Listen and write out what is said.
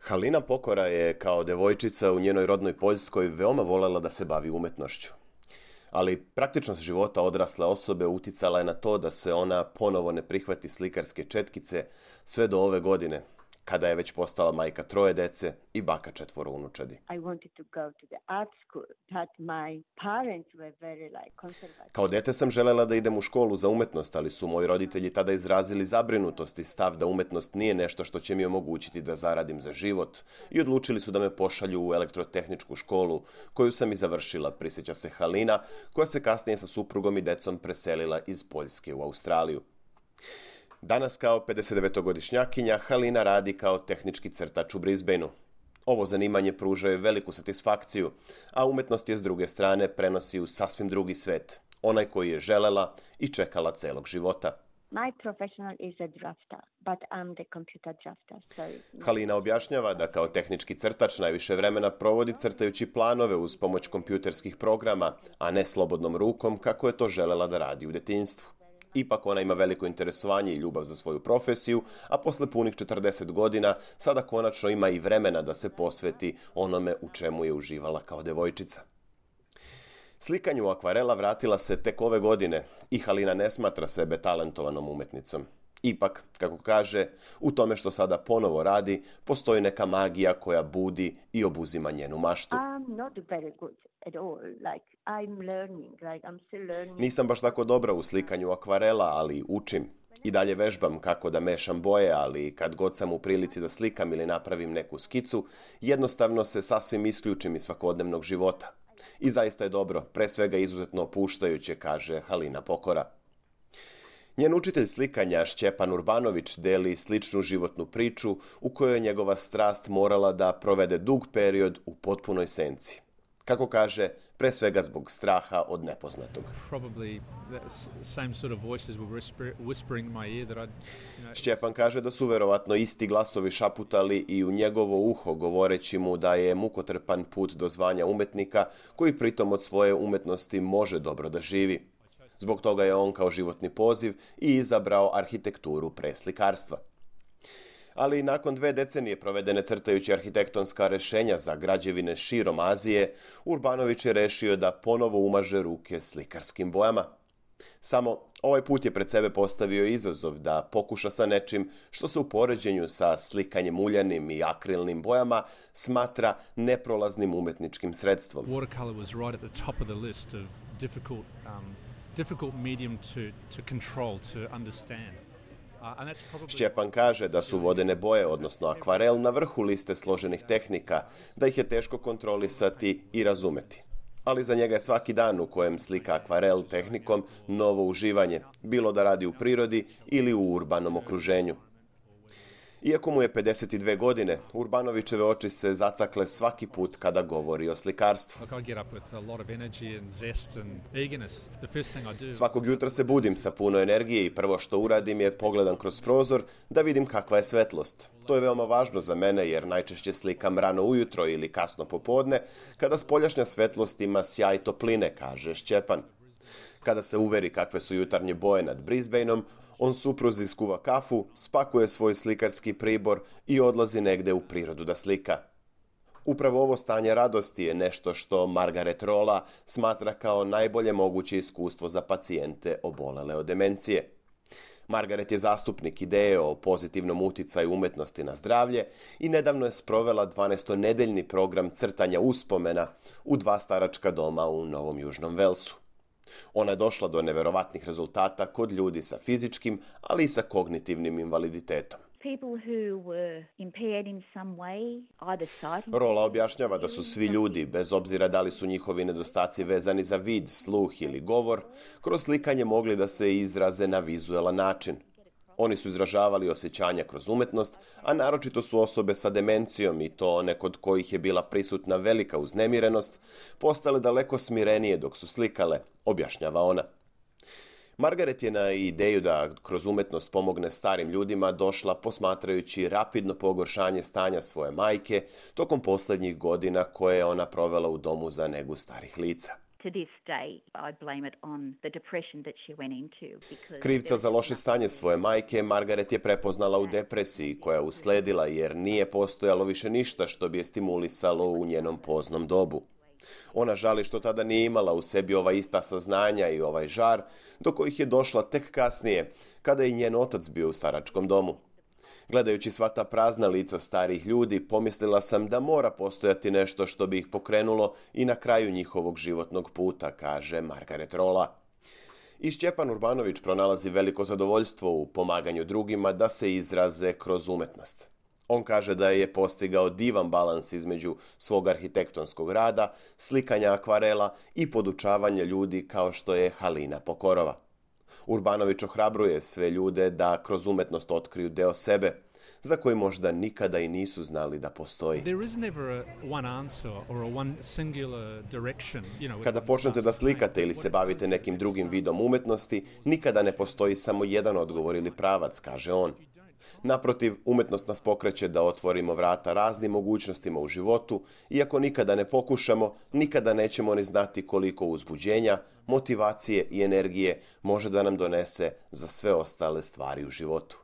Halina Pokora je kao devojčica u njenoj rodnoj Poljskoj veoma voljela da se bavi umetnošću. Ali praktičnost života odrasle osobe uticala je na to da se ona ponovo ne prihvati slikarske četkice sve do ove godine, kada je već postala majka 3 dece i baka 4 unučadi. Kao dete sam želela da idem u školu za umetnost, ali su moji roditelji tada izrazili zabrinutost i stav da umetnost nije nešto što će mi omogućiti da zaradim za život i odlučili su da me pošalju u elektrotehničku školu, koju sam i završila, prisjeća se Halina, koja se kasnije sa suprugom i decom preselila iz Poljske u Australiju. Danas kao 59-godišnjakinja Halina radi kao tehnički crtač u Brisbaneu. Ovo zanimanje pruža je veliku satisfakciju, a umetnost je s druge strane prenosi u sasvim drugi svet, onaj koji je želela i čekala celog života. Halina objašnjava da kao tehnički crtač najviše vremena provodi crtajući planove uz pomoć kompjuterskih programa, a ne slobodnom rukom kako je to želela da radi u detinjstvu. Ipak ona ima veliko interesovanje i ljubav za svoju profesiju, a posle punih 40 godina sada konačno ima i vremena da se posveti onome u čemu je uživala kao devojčica. Slikanju akvarela vratila se tek ove godine i Halina ne smatra sebe talentovanom umetnicom. Ipak, kako kaže, u tome što sada ponovo radi, postoji neka magija koja budi i obuzima njenu maštu. Nisam baš tako dobra u slikanju akvarela, ali učim. I dalje vežbam kako da mešam boje, ali kad god sam u prilici da slikam ili napravim neku skicu, jednostavno se sasvim isključim iz svakodnevnog života. I zaista je dobro, pre svega izuzetno opuštajuće, kaže Halina Pokora. Njen učitelj slikanja Šćepan Urbanović deli sličnu životnu priču u kojoj je njegova strast morala da provede dug period u potpunoj senci. Kako kaže, pre svega zbog straha od nepoznatog. Šćepan kaže da su verovatno isti glasovi šaputali i u njegovo uho govoreći mu da je mukotrpan put do zvanja umetnika koji pritom od svoje umetnosti može dobro da živi. Zbog toga je on kao životni poziv i izabrao arhitekturu pre slikarstva. Ali nakon 2 decenije provedene crtajući arhitektonska rešenja za građevine širom Azije, Urbanović je rešio da ponovo umaže ruke slikarskim bojama. Samo ovaj put je pred sebe postavio izazov da pokuša sa nečim što se u poređenju sa slikanjem uljanim i akrilnim bojama smatra neprolaznim umetničkim sredstvom. Watercolor was right at the top of the list of difficult medium to control, to understand. Šćepan kaže da su vodene boje, odnosno akvarel, na vrhu liste složenih tehnika, da ih je teško kontrolisati i razumeti. Ali za njega je svaki dan u kojem slika akvarel tehnikom novo uživanje, bilo da radi u prirodi ili u urbanom okruženju. Iako mu je 52 godine, Urbanovićeve oči se zacakle svaki put kada govori o slikarstvu. Svakog jutra se budim sa puno energije i prvo što uradim je pogledam kroz prozor da vidim kakva je svetlost. To je veoma važno za mene jer najčešće slikam rano ujutro ili kasno popodne, kada spoljašnja svetlost ima sjaj topline, kaže Šćepan. Kada se uveri kakve su jutarnje boje nad Brisbaneom, on supruzi skuva kafu, spakuje svoj slikarski pribor i odlazi negde u prirodu da slika. Upravo ovo stanje radosti je nešto što Margaret Rolla smatra kao najbolje moguće iskustvo za pacijente obolele od demencije. Margaret je zastupnik ideje o pozitivnom uticaju umetnosti na zdravlje i nedavno je sprovela 12-nedeljni program crtanja uspomena u 2 staračka doma u Novom Južnom Velsu. Ona je došla do neverovatnih rezultata kod ljudi sa fizičkim, ali i sa kognitivnim invaliditetom. Rolla objašnjava da su svi ljudi, bez obzira da li su njihovi nedostaci vezani za vid, sluh ili govor, kroz slikanje mogli da se izraze na vizuelan način. Oni su izražavali osjećanja kroz umetnost, a naročito su osobe sa demencijom i to one kod kojih je bila prisutna velika uznemirenost, postale daleko smirenije dok su slikale, objašnjava ona. Margaret je na ideju da kroz umetnost pomogne starim ljudima došla posmatrajući rapidno pogoršanje stanja svoje majke tokom poslednjih godina koje je ona provela u domu za negu starih lica. To this day, I blame it on the depression that she went into. Krivca za loše stanje svoje majke Margaret je prepoznala u depresiji koja je usledila jer nije postojalo više ništa što bi je stimulisalo u njenom poznom dobu. Ona žali što tada nije imala u sebi ova ista saznanja i ovaj žar, do kojih je došla tek kasnije, kada je i njen otac bio u staračkom domu. Gledajući sva ta prazna lica starih ljudi, pomislila sam da mora postojati nešto što bi ih pokrenulo i na kraju njihovog životnog puta, kaže Margaret Rolla. I Stjepan Urbanović pronalazi veliko zadovoljstvo u pomaganju drugima da se izraze kroz umetnost. On kaže da je postigao divan balans između svog arhitektonskog rada, slikanja akvarela i podučavanja ljudi kao što je Halina Pokorova. Urbanović ohrabruje sve ljude da kroz umetnost otkriju deo sebe, za koji možda nikada i nisu znali da postoji. Kada počnete da slikate ili se bavite nekim drugim vidom umetnosti, nikada ne postoji samo jedan odgovor ili pravac, kaže on. Naprotiv, umetnost nas pokreće da otvorimo vrata raznim mogućnostima u životu, iako nikada ne pokušamo, nikada nećemo ni znati koliko uzbuđenja, motivacije i energije može da nam donese za sve ostale stvari u životu.